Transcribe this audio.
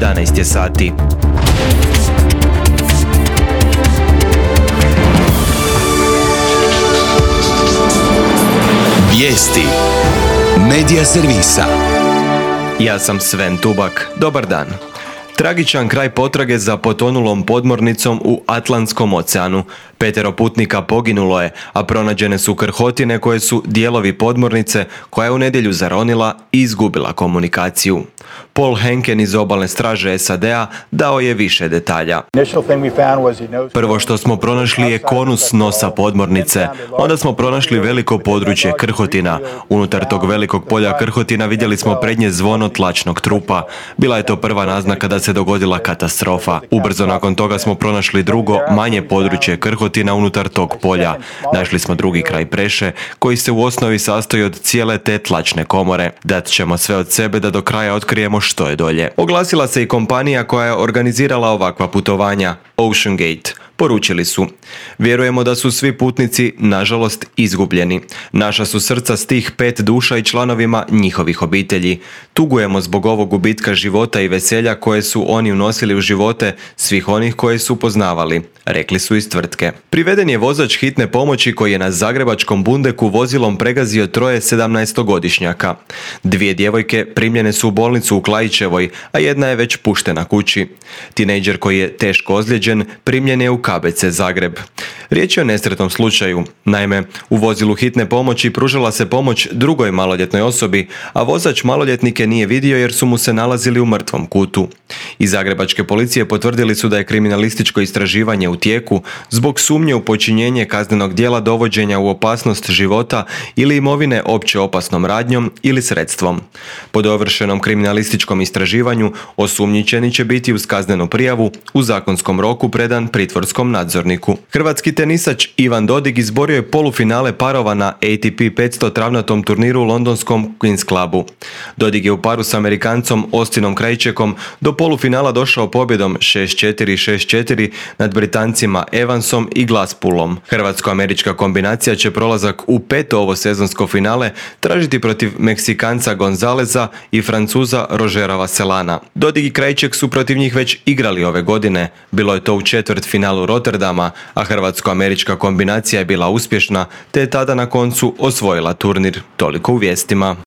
11 je sati. Vijesti Medija servisa. Ja sam Sven Tubak. Dobar dan. Tragičan kraj potrage za potonulom podmornicom u Atlantskom oceanu. 5 putnika poginulo je, a pronađene su krhotine koje su dijelovi podmornice koja je u nedjelju zaronila i izgubila komunikaciju. Paul Henken iz obalne straže SAD-a dao je više detalja. Prvo što smo pronašli je konus nosa podmornice. Onda smo pronašli veliko područje krhotina. Unutar tog velikog polja krhotina vidjeli smo prednje zvono tlačnog trupa. Bila je to prva naznaka da se dogodila katastrofa. Ubrzo nakon toga smo pronašli drugo, manje područje krhotina unutar tog polja. Našli smo drugi kraj preše, koji se u osnovi sastoji od cijele te tlačne komore. Dat ćemo sve od sebe da do kraja otkrijemo što je dolje. Oglasila se i kompanija koja je organizirala ovakva putovanja, OceanGate. Poručili su: vjerujemo da su svi putnici, nažalost, izgubljeni. Naša su srca s tih 5 duša i članovima njihovih obitelji. Tugujemo zbog ovog gubitka života i veselja koje su oni unosili u živote svih onih koje su poznavali, rekli su iz tvrtke. Priveden je vozač hitne pomoći koji je na zagrebačkom Bundeku vozilom pregazio 3 17-godišnjaka. 2 djevojke primljene su u bolnicu u Klaićevoj, a jedna je već puštena kući. Tinejdžer koji je teško ozlijeđen primljen je u KBC Zagreb. Riječ je o nesretnom slučaju. Naime, u vozilu hitne pomoći pružala se pomoć drugoj maloljetnoj osobi, a vozač maloljetnike nije vidio jer su mu se nalazili u mrtvom kutu. Iz zagrebačke policije potvrdili su da je kriminalističko istraživanje u tijeku zbog sumnje u počinjenje kaznenog djela dovođenja u opasnost života ili imovine opće opasnom radnjom ili sredstvom. Po dovršenom kriminalističkom istraživanju osumnjičeni će biti uz kaznenu prijavu u zakonskom roku predan pritvorskom nadzorniku. Hrvatski tenisač Ivan Dodig izborio je polufinale parova na ATP 500 travnatom turniru u londonskom Queen's Clubu. Dodig je u paru s Amerikancom Austinom Krajčekom do polufinala došao pobjedom 6-4, 6-4 nad Britancima Evansom i Glasspoolom. Hrvatsko-američka kombinacija će prolazak u 5. ovo sezonsko finale tražiti protiv Meksikanca Gonzaleza i Francuza Rogera Vasselana. Dodig i Krajček su protiv njih već igrali ove godine. Bilo je to u četvrtfinalu Rotterdama, a hrvatsko-američka kombinacija je bila uspješna, te je tada na koncu osvojila turnir. Toliko u vijestima.